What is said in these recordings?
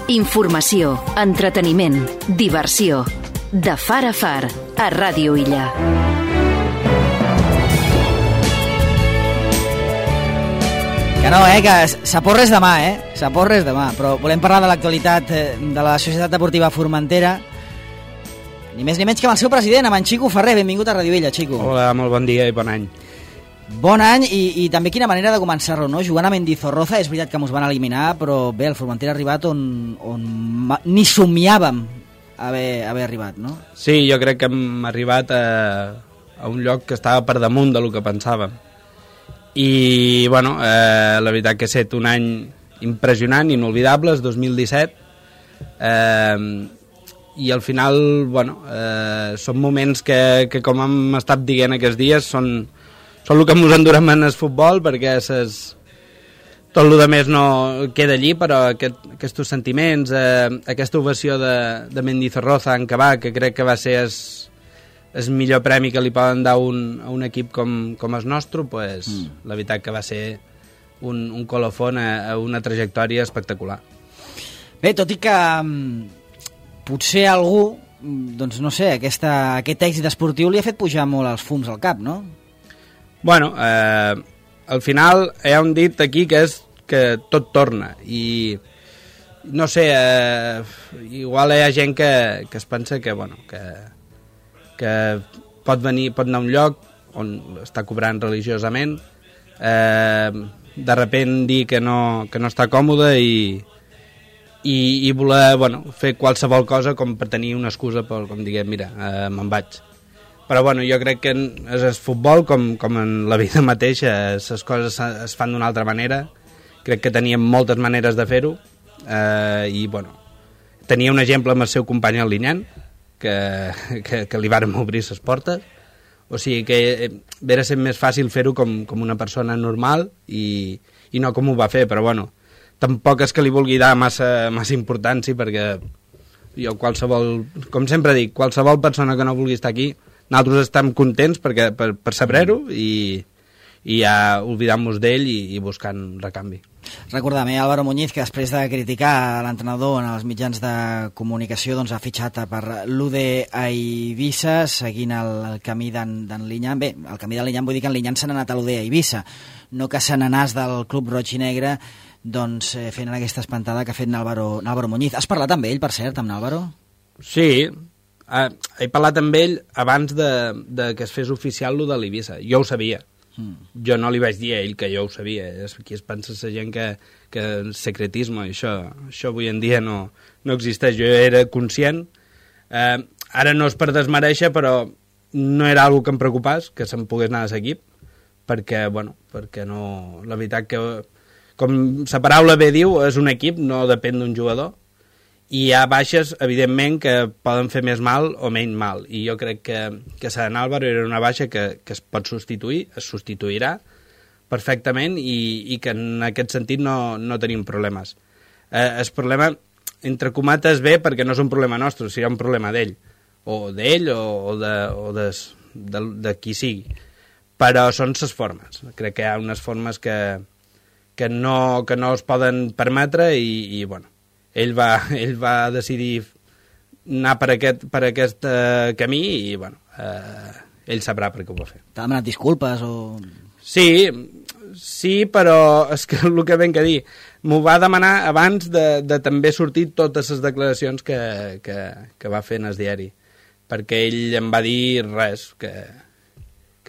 Informació, entreteniment, diversió. De far a far, a Ràdio Illa. Que no, que s'aporres demà, s'aporres demà. Però volem parlar de l'actualitat de la Societat Deportiva Formentera. Ni més ni menys que amb el seu president, amb en Xico Ferrer. Benvingut a Ràdio Illa, Xico. Hola, molt bon dia i bon any. Bon any i també quina manera de començar-lo, no? Jugant a Mendizorroza, és veritat que mos van eliminar, però bé, el Formentera ha arribat on ni somiàvem haver arribat, no? Sí, jo crec que hem arribat a un lloc que estava per damunt del que pensàvem. I, bueno, la veritat que ha estat un any impressionant, inolvidable, el 2017, i al final, bueno, són moments que com hem estat dient aquests dies, són el que ens endurem en el futbol, perquè tot el que més no queda allí, però aquests sentiments, aquesta ovació de Mendizorroza en Cabà, que crec que va ser el millor premi que li poden dar a un equip com el nostre, pues, la veritat que va ser un colofón a una trajectòria espectacular. Bé, tot i que potser algú, doncs no sé, aquest èxit esportiu li ha fet pujar molt els fums al cap, no? Bueno, al final hi ha un dit aquí que és que tot torna i no sé, igual hi ha gent que es pensa que, bueno, que pot anar a un lloc on està cobrant religiosament, de repent dir que no està còmode i voler, bueno, fer qualsevol cosa com per tenir una excusa per, com diguem, mira, me'n vaig. Però bueno, jo crec que és el futbol, com en la vida mateixa, les coses es fan d'una altra manera. Crec que teníem moltes maneres de fer-ho, i bueno, tenia un exemple amb el seu company el Linyan, que li vàrem obrir les portes, o sigui que era ser més fàcil fer-ho com una persona normal i no com ho va fer, però bueno, tampoc és que li vulgui dar massa importància, perquè jo com sempre dic, qualsevol persona que no vulgui estar aquí, nosaltres estem contents per saber-ho i ja oblidant-nos d'ell i buscant recanvi. Recordem, Álvaro Muñiz, que després de criticar l'entrenador en els mitjans de comunicació, doncs ha fitxat per l'UD a Eivissa, seguint el camí d'en Linyan. Bé, el camí d'en Linyan vull dir que en Linyan se n'ha anat a l'UD a Eivissa, no que se n'anàs del club roig i negre, doncs fent aquesta espantada que ha fet Álvaro Muñiz. Has parlat amb ell, per cert, amb Álvaro? Sí, he parlat amb ell abans de que es fes oficial lo de l'Eivissa. Jo ho sabia. Jo no li vaig dir a ell que jo ho sabia. Aquí es pensa la gent que el secretisme, això avui en dia no existeix. Jo era conscient. Ara no és per desmereixer, però no era algo que em preocupés, que se'm pogués anar a l'equip, perquè no... La veritat que, com la paraula bé diu, és un equip, no depèn d'un jugador, i hi ha baixes, evidentment, que poden fer més mal o menys mal, i jo crec que Sant Álvaro era una baixa que es pot substituir, es substituirà perfectament, i que en aquest sentit no tenim problemes. El problema, entre comates, ve perquè no és un problema nostre, serà un problema d'ell o de qui sigui, però són les formes. Crec que hi ha unes formes que no es poden permetre i bueno, ell va decidir anar per aquest camí i, bueno, ell sabrà per què ho va fer. T'ha demanat disculpes o...? Sí, però és que el que ben que dir, m'ho va demanar abans de també sortir totes les declaracions que va fer en el diari, perquè ell em va dir res que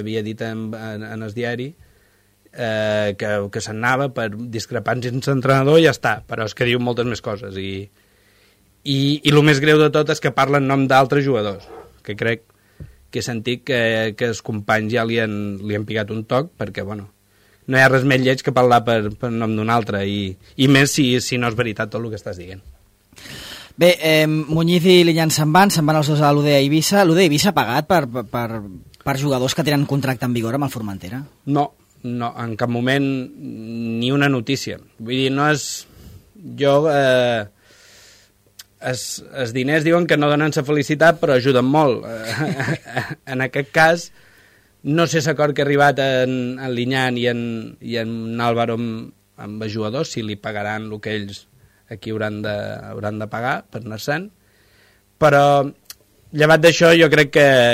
havia dit en el diari, que se'n anava per discrepàncies amb l'entrenador i ja està, però és que diu moltes més coses i el més greu de tot és que parla en nom d'altres jugadors, que crec que he sentit que els companys ja li han picat un toc, perquè bueno, no hi ha res més lleig que parlar per nom d'un altre i més si no és veritat tot el que estàs dient. Bé, Muñiz i Linyan se'n van els dos a l'UD a Eivissa. L'UD a Eivissa ha pagat per jugadors que tenen contracte en vigor amb el Formentera? No, en cap moment ni una notícia. Vull dir, no és... Els diners diuen que no donen la felicitat, però ajuden molt. En aquest cas, no sé l'acord que ha arribat en Linyan i en Álvaro amb els jugadors, si li pagaran el que ells aquí hauran de pagar per anar-se'n, però llevat d'això jo crec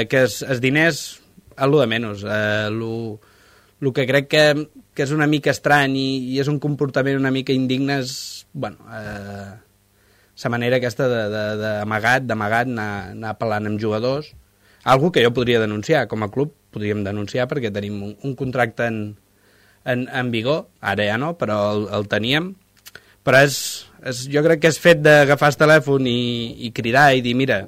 que els diners és el de menys. El que crec que és una mica estrany i és un comportament una mica indigne és, bueno, la manera aquesta d'amagat anar parlant amb jugadors, algo que jo podria denunciar, com a club podríem denunciar perquè tenim un contracte en vigor, ara ja no, però el teníem, però jo crec que és fet d'agafar el telèfon i cridar i dir, mira,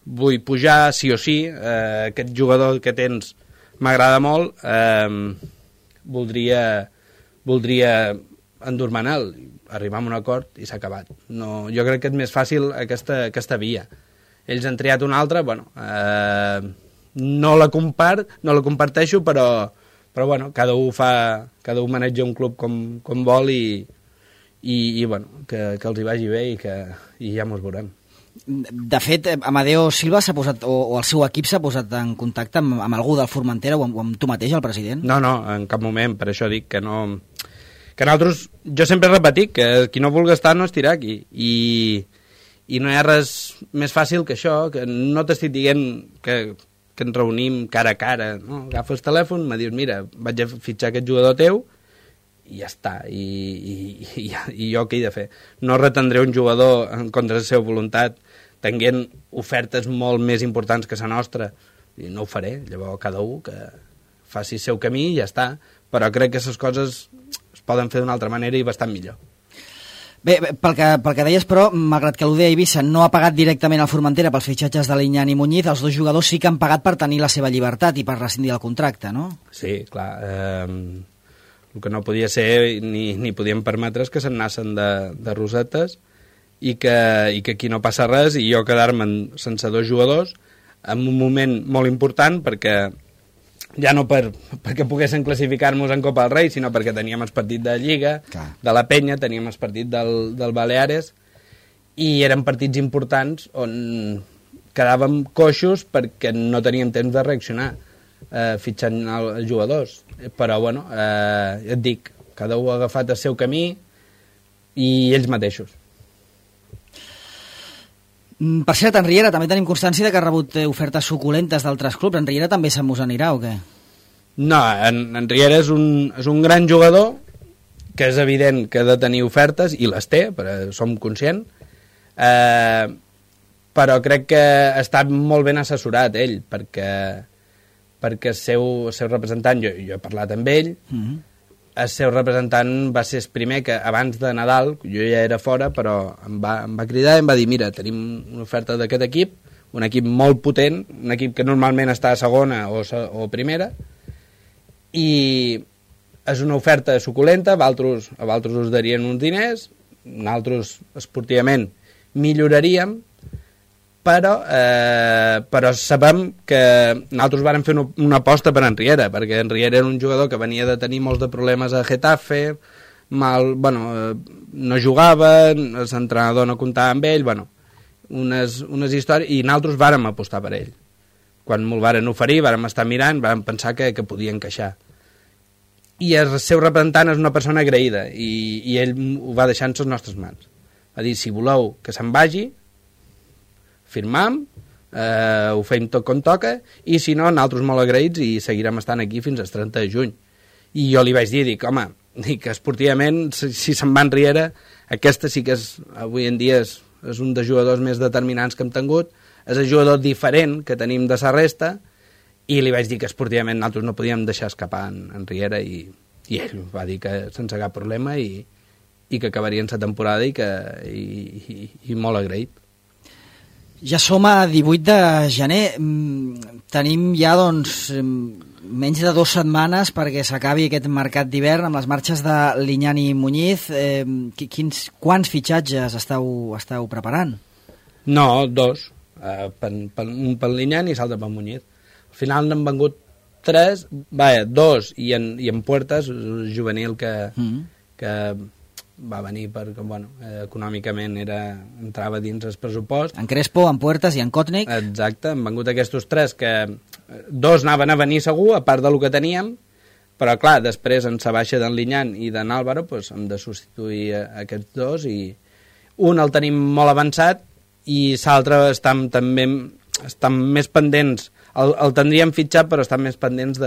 vull pujar sí o sí, aquest jugador que tens m'agrada molt, voldria endur-me'l, arribar a un acord i s'ha acabat. No, jo crec que és més fàcil aquesta via. Ells han triat una altra, bueno, no la comparteixo, però bueno, cada un maneja un club com vol i bueno, que els hi vagi bé i ja mos veurem. De fet, Amadeo Silva s'ha posat, o el seu equip s'ha posat en contacte amb algú del Formentera o amb tu mateix, el president? No, en cap moment, per això dic que no... Que nosaltres, jo sempre he repetit que qui no vulgui estar no estirà aquí i no hi ha res més fàcil que això, que no t'estic dient que ens reunim cara a cara, no? Agafa el telèfon, me dius, mira, vaig a fitxar aquest jugador teu i ja està, i jo què he de fer? No retendré un jugador en contra de la seva voluntat tenint ofertes molt més importants que la nostra, i no ho faré. Llavors cada un que faci el seu camí i ja està, però crec que les coses es poden fer d'una altra manera i bastant millor. Bé, pel que deies, però, malgrat que l'UD Eivissa no ha pagat directament al Formentera pels fitxatges de Liñán i Muñiz, els dos jugadors sí que han pagat per tenir la seva llibertat i per rescindir el contracte, no? Sí, clar. El que no podia ser ni podíem permetre és que se'n nassen de rosetes i que aquí no passa res i jo quedar-me sense dos jugadors en un moment molt important perquè ja no perquè poguessin classificar-nos en Copa del Rei, sinó perquè teníem el partit de Lliga, clar, de la Penya, teníem el partit del Baleares, i eren partits importants on quedàvem coixos perquè no teníem temps de reaccionar fitxant els jugadors. Però, bueno, et dic, cada un ha agafat el seu camí i ells mateixos. Per cert, en Riera també tenim constància que ha rebut ofertes suculentes d'altres clubs. En Riera també se'n mos anirà o què? No, en Riera és un gran jugador que és evident que ha de tenir ofertes i les té, però som conscients, però crec que ha estat molt ben assessorat ell perquè el seu representant, jo he parlat amb ell, el seu representant va ser el primer que abans de Nadal, jo ja era fora, però em va cridar i em va dir, mira, tenim una oferta d'aquest equip, un equip molt potent, un equip que normalment està a segona o primera, i és una oferta suculenta, a vosaltres us darien uns diners, nosaltres esportivament milloraríem, però sabem que nosaltres vàrem fer una aposta per en Riera, perquè en Riera era un jugador que venia de tenir molts de problemes a Getafe, no jugava, l'entrenador no comptava amb ell, unes històries, i nosaltres vàrem apostar per ell. Quan me'l varen oferir, vàrem estar mirant, vàrem pensar que podia encaixar. I el seu representant és una persona agraïda, i ell ho va deixar en les nostres mans. Va dir, si voleu que se'n vagi, firmam, ho fem tot com toca, i si no, nosaltres molt agraïts i seguirem estant aquí fins al 30 de juny. I jo li vaig dir, home, esportivament, si se'n va en Riera, aquesta sí que avui en dia és un dels jugadors més determinants que hem tingut, és el jugador diferent que tenim de la resta, i li vaig dir que esportivament nosaltres no podíem deixar escapar en Riera, i ell va dir que sense cap problema i que acabarien la temporada i molt agraït. Ja som a 18 de gener, tenim ja menys de 2 setmanes perquè s'acabi aquest mercat d'hivern amb les marxes de Liñán i Muñiz. Quants fitxatges esteu preparant? No, 2. Un pel Liñán i l'altre pel Muñiz. Al final n'han vengut 3, 2 i en Puertas, juvenil que va venir perquè, econòmicament entrava dins el pressupost. En Crespo, en Puertas i en Kotnik. Exacte, han vengut aquests 3 que 2 anaven a venir segur, a part del que teníem, però clar, després en la baixa d'en Liñán i d'en Álvaro hem de substituir aquests 2 un el tenim molt avançat i l'altre estan més pendents, el tindríem fitxat però estan més pendents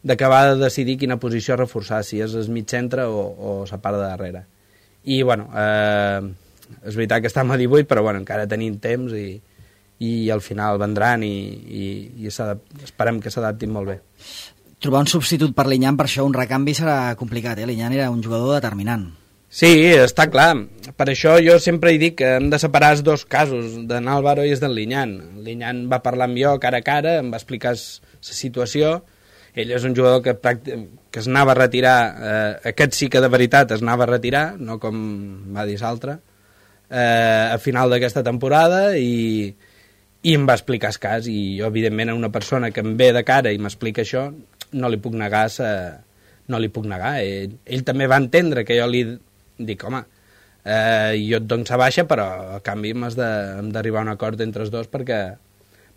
d'acabar de decidir quina posició reforçar, si és el mig centre o la part de darrere. I bueno, és veritat que estem a 18 però bueno, encara tenim temps i al final vendran i esperem que s'adaptin molt bé. Trobar un substitut per Liñán, per això un recanvi serà complicat, Liñán era un jugador determinant. Sí, està clar. Per això jo sempre he dit que hem de separar els dos casos, d'en Álvaro i els d'en Liñán. Liñán va parlar amb jo cara a cara, em va explicar la situació. Ell és un jugador que es anava a retirar, aquest sí que de veritat es anava a retirar, no com va dir l'altre, a final d'aquesta temporada i em va explicar el cas. I jo, evidentment, a una persona que em ve de cara i m'explica això, no li puc negar. Ell també va entendre que jo li dic, home, jo et dono la baixa, però a canvi hem d'arribar a un acord entre els dos perquè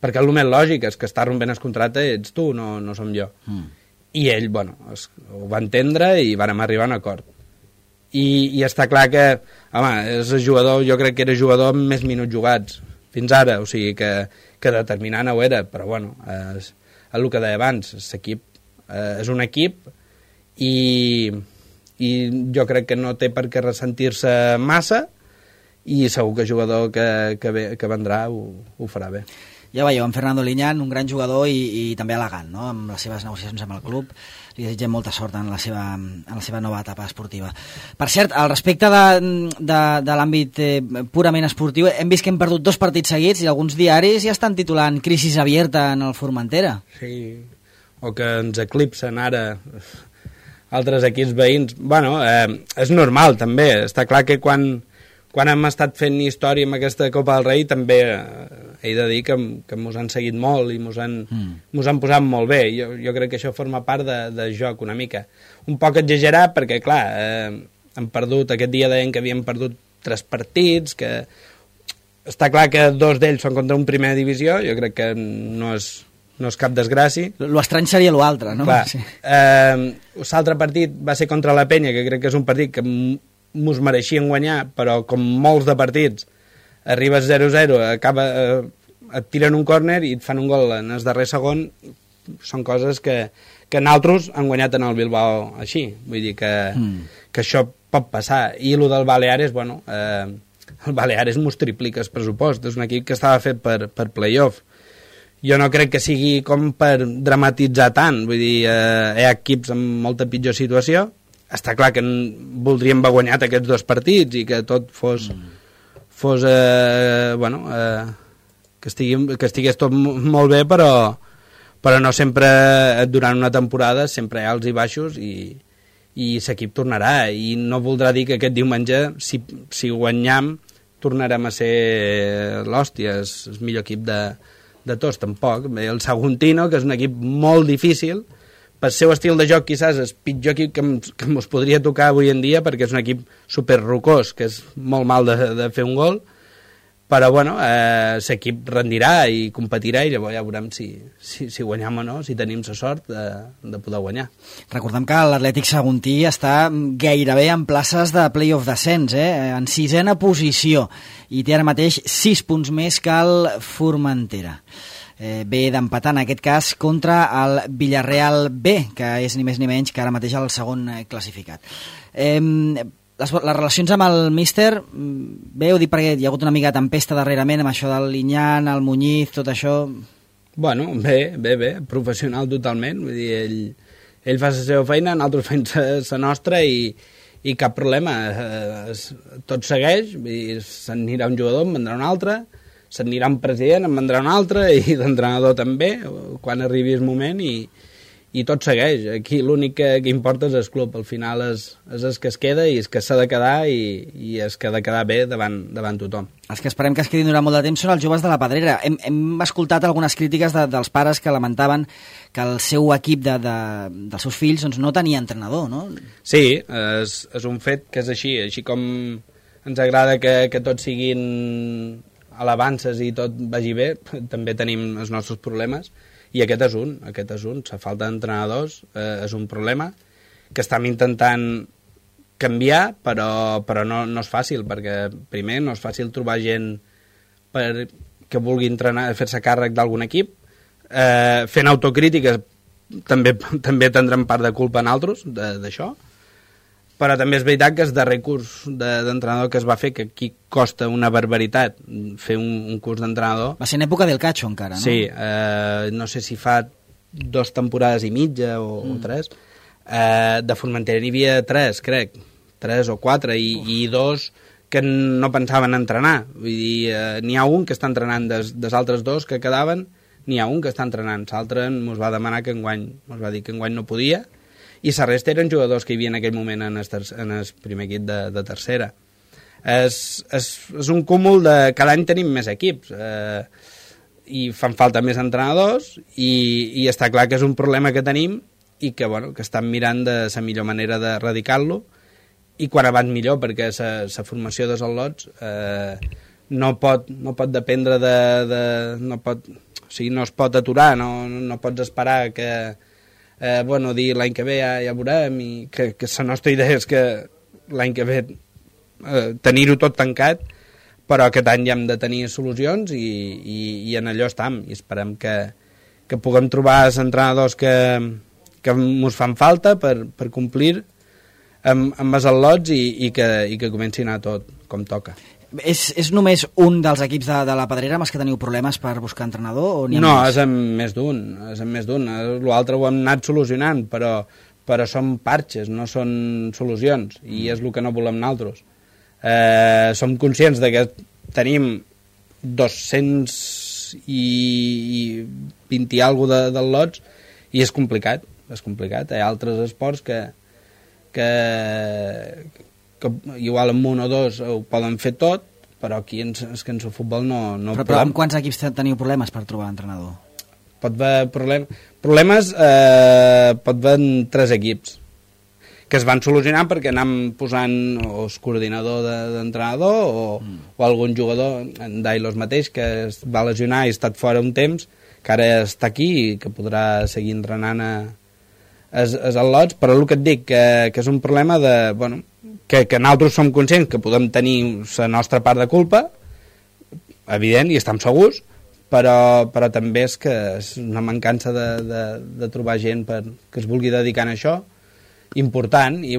el més lògic és que està rompent el contracte ets tu, no som jo. I ell, bueno, ho va entendre i vàrem arribar a un acord. I està clar que, home, és el jugador, jo crec que era jugador amb més minuts jugats fins ara, o sigui que determinant ho era, però bueno, és el que deia abans, l'equip és un equip i jo crec que no té per què ressentir-se massa i segur que el jugador que vendrà ho farà bé. Ja veieu, en Fernando Liñán, un gran jugador i també elegant, no?, amb les seves negociacions amb el club. Li desitgem molta sort en la seva nova etapa esportiva. Per cert, al respecte de l'àmbit purament esportiu, hem vist que hem perdut 2 partits seguits i alguns diaris ja estan titulant crisis abierta en el Formentera. Sí, o que ens eclipsen ara altres equips veïns. Bueno, és normal també, està clar que quan hem estat fent història amb aquesta Copa del Rei també he de dir que mos han seguit molt i mos han posat molt bé. Jo crec que això forma part de joc una mica. Un poc exagerat perquè, clar, hem perdut, aquest dia deien que havíem perdut 3 partits, que està clar que 2 d'ells són contra un primera divisió, jo crec que no és cap desgràcia. Lo estrany seria l'altre, no? Clar, sí. L'altre partit va ser contra la Penya, que crec que és un partit que mos mereixien guanyar, però com molts de partits arribes 0-0, et tiren un córner i et fan un gol en el darrer segon. Són coses que nosaltres han guanyat en el Bilbao així, vull dir que això pot passar. I el del Baleares, bueno, el Baleares mos triplica el pressupost, és un equip que estava fet per playoff. Jo no crec que sigui com per dramatitzar tant, vull dir, hi ha equips amb molta pitjor situació. Està clar que voldríem haver guanyat aquests 2 partits i que tot fos que estigués tot molt bé, però no sempre durant una temporada sempre hi ha alts i baixos i l'equip tornarà i no voldrà dir que aquest diumenge si guanyam tornarem a ser l'hòstia, el millor equip de tots, tampoc. El Saguntino, que és un equip molt difícil, pel seu estil de joc quizás és el pitjor equip que ens podria tocar avui en dia perquè és un equip superrocós, que és molt mal de fer un gol, però bueno, l'equip rendirà i competirà i llavors ja veurem si guanyam o no, si tenim la sort de poder guanyar. Recordem que l'Atlètic Saguntí està gairebé en places de play-off descens, en 6ª posició, i té ara mateix 6 punts més que el Formentera. Ve d'empatar en aquest cas contra el Villarreal B, que és ni més ni menys que ara mateix el segon classificat. Les relacions amb el míster, bé, ho dic perquè hi ha hagut una mica de tempesta darrerament amb això del Liñán, el Muñiz, tot això. Bueno, bé, professional totalment, vull dir, ell fa la seva feina, nosaltres fem la nostra i cap problema, tot segueix, vull dir, s'anirà un jugador, en vendrà un altre, s'anirà un president, en vendrà un altre, i l'entrenador també, quan arribi el moment, i tot segueix. Aquí l'únic que importa és el club, al final és el que es queda i és que s'ha de quedar i és que ha de quedar bé davant tothom. Els que esperem que es quedin durant molt de temps són els joves de la Pedrera. Hem escoltat algunes crítiques dels pares que lamentaven que el seu equip dels seus fills doncs, no tenia entrenador, no? Sí, és un fet que és així com ens agrada que tots siguin alabances i tot vagi bé, també tenim els nostres problemes, i aquest és un, la falta d'entrenadors és un problema que estem intentant canviar, però no és fàcil, perquè primer no és fàcil trobar gent que vulgui entrenar, fer-se càrrec d'algun equip, fent autocrítica també tindrem part de culpa en altres d'això, però també és veritat que és darrer curs d'entrenador que es va fer, que aquí costa una barbaritat fer un curs d'entrenador. Va ser en època del Cacho encara, no? Sí, no sé si fa 2 temporades i mitja o 3. De Formentera n'hi havia 3, crec, 3 o 4, i 2 que no pensaven entrenar. Vull dir, n'hi ha un que està entrenant dels altres 2 que quedaven, n'hi ha un que està entrenant. L'altre ens va demanar que enguany no podia, i la resta eren jugadors que hi havia en aquell moment en el primer equip de tercera. És un cúmul de... Cada any tenim més equips, i fan falta més entrenadors, i està clar que és un problema que tenim i que estan mirant de la millor manera d'erradicar-lo, i quan abans millor, perquè la formació dels al·lots no pot dependre o sigui, no es pot aturar, no pots esperar que dir l'any que ve ja veurem, i que la nostra idea és que l'any que ve tenir-ho tot tancat, però aquest any ja hem de tenir solucions, i en allò estem, i esperem que puguem trobar els entrenadors que ens fan falta per complir amb els al·lots, i que comenci a anar tot com toca. És només un dels equips de la Pedrera amb els que teniu problemes per buscar entrenador? O no, és amb més d'un. L'altre ho hem anat solucionant, però són parxes, no són solucions, i és el que no volem nosaltres. Som conscients de que tenim 220 i alguna de lots, i és complicat. Hi ha altres esports que igual amb 1 o 2 ho poden fer tot, però aquí és que en el futbol no però amb quants equips teniu problemes per trobar entrenador? Pot haver problemes pot haver en 3 equips que es van solucionar perquè anem posant o el coordinador d'entrenador o algun jugador, en Dailos mateix, que es va lesionar i ha estat fora un temps, que ara està aquí i que podrà seguir entrenant els al·lots, però el que et dic que és un problema que nosaltres som conscients que podem tenir la nostra part de culpa, evident, i estem segurs, però també és que és una mancança de trobar gent que es vulgui dedicar a això, important, i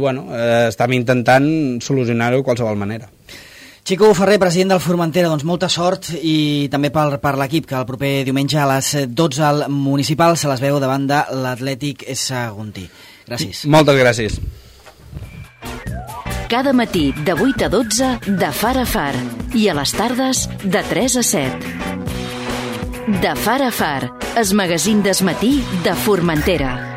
estem intentant solucionar-ho de qualsevol manera. Xico Ferrer, president del Formentera, doncs molta sort, i també per l'equip, que el proper diumenge a les 12 al Municipal se les veu davant de l'Atlètic Saguntí. Gràcies. Moltes gràcies. Cada matí de 8 a 12 de Far a Far, i a les tardes de 3 a 7. De Far a Far, el magazín del matí de Formentera.